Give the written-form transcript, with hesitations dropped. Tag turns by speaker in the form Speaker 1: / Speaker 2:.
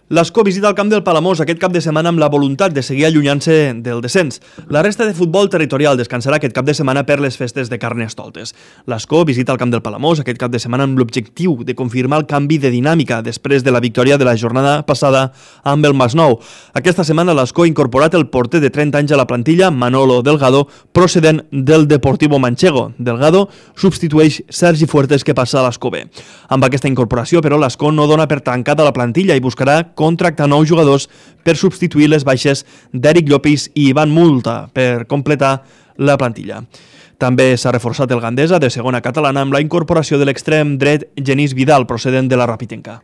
Speaker 1: L'Escó visita el camp del Palamós aquest cap de setmana amb la voluntat de seguir allunyant-se del descens. La resta de futbol territorial descansarà aquest cap de setmana per les festes de Carnestoltes. L'Escó visita el camp del Palamós aquest cap de setmana amb l'objectiu de confirmar el canvi de dinàmica després de la victòria de la jornada passada amb el Masnou. Aquesta setmana l'Escó ha incorporat el porter de 30 anys a la plantilla, Manolo Delgado, procedent del Deportivo Manchego. Delgado substitueix Sergi Fuertes, que passa a l'Escó B. Amb aquesta incorporació, però, l'Escó no dona per tancada la plantilla i buscarà contractar nous jugadors per substituir les baixes d'Eric Llopis i Ivan Multa per completar la plantilla. També s'ha reforçat el Gandesa de segona catalana amb la incorporació de l'extrem dret Genís Vidal, procedent de la Rapitenca.